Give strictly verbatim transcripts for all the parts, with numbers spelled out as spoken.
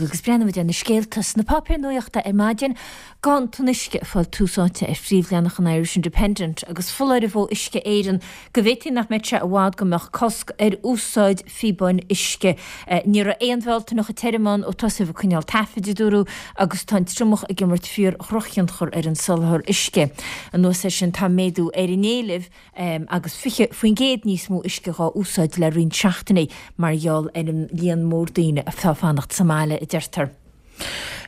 Agus breathnóimid ar na scéalta sna páipéir nuachta ar maidin, Ganntan uisce ag fáil tús áite ar phríomhleathanach an Irish Independent agus foláireamh ó Uisce Éireann go bhféadfaí nach mbeadh sé i bhfad go mbeadh cosc ar úsáid phíobáin uisce. Ní raibh aon Bhealtaineacha tirim ann ó tosaíodh ag coinneáil taifid, a dúradh, agus tá an triomach ag imirt fíor-dhrochthionchar ar an soláthar uisce. Anuas air sin tá méadú ar an éileamh agus fiche faoin gcéad níos mó uisce dhá úsáid le roinnt seachtainí mar gheall ar an líon mór daoine atá ag fanacht sa mbaile, a deirtear.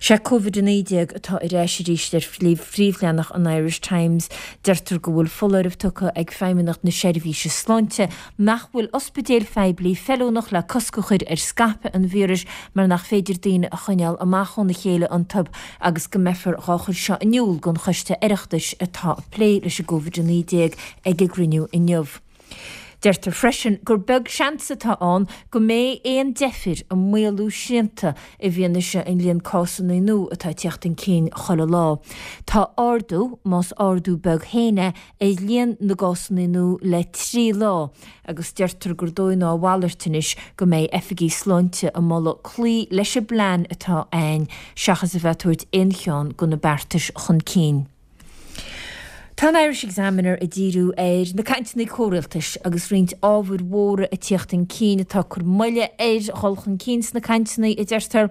Sé Covid a naoi déag atá ar ais arís ar phríomhleathanach an Irish Times. Deirtear go bhfuil foláireamh tugtha ag Feidhmeannacht na Seirbhíse Sláinte nach bhfuil ospidéil phoiblí feiliúnach le cosc a chur ar scaipeadh an víris mar nach féidir daoine a choinneáil amach óna chéile iontu agus go mbeifear dhá chur seo in iúl don Choiste Oireachtais atá ag plé leis an gCovid a naoi déag ag a gcruinniú inniu. Deirtear freisin gur beag seans atá ann go mbeidh aon deifir i maolú srianta i bhfianaise an líon cásanna nua atá ag teacht chun cinn chuile lá. Tá ardú, más ardú beag féin é, ar líon na gcásanna nua le trí lá agus deirtear gur dóigh ná a mhalairt anois go mbeidh oifigigh sláinte ag moladh cloí leis an bplean atá ann seachas a bheith ag tabhairt aon cheann de na beartais chun cinn. Tá an Irish Examiner ag díriú ar na cainteanna comhrialtais agus roinnt ábhair mhóra ag tíocht chun cinn atá ag cur moille ar dhul chun cinn sna cainteanna, a deirtear.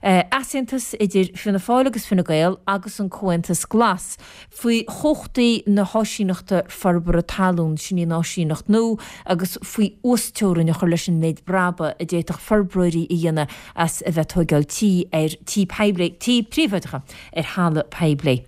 Easaontas idir Fianna Fáil agus Fine Gael agus an Comhaontas Glas faoi chumhachtaí na hÁisíneachta Forbartha Talún, sin í an áisíneacht nua, agus faoi uasteorainn a chur leis an méid brabaigh a d'fhéadfadh forbróirí a dhéanamh as a bheith ag tóigeáil tí ar tí poiblí, tí príobháideacha ar thalamh poiblí.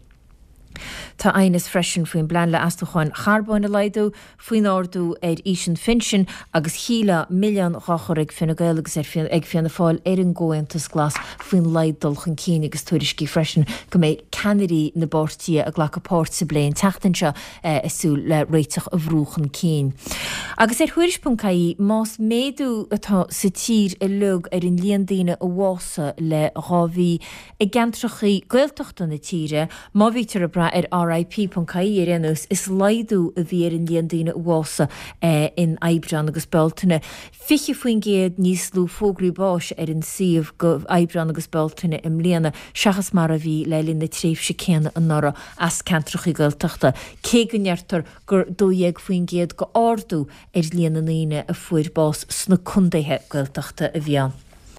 Tá aighneas freisin faoin bplean le astúcháin charbóin a laghdú, faoin ardú ar aois an phinsin agus shílfeá milleán dhá chur ag Fine Gael agus ag Fianna Fáil ar an gComhaontas Glas faoin laghad dul chun cinn agus tuairiscí freisin go mbeidh ceannairí na bpáirtithe ag glacadh páirt sa bplé an tseachtain seo ag súil le réiteach a bhrú chun cinn. Agus ar Thuairisc ponc ie, más méadú atá sa tír uilig ar an líon daoine a bhásaigh le dhá mhí, I gceantrachaí Gaeltachta na tíre, má bhítear ag brath ar RIP ponc ie ar aon nós, is laghdú a bhí ar an líon daoine a bhásaigh in Aibreán agus Bealtaine, fiche faoin gcéad níos lú fógraí báis ar an suíomh do Aibreán agus Bealtaine i mbliana seachas mar a bhí le linn na tréimhse céanna anuraidh as ceantrachaí Gaeltachta, cé go ndeirtear gur dó dhéag faoin gcéad d'ardú ar líon na ndaoine a fuair bás sna contaetha Gaeltachta a bhí ann.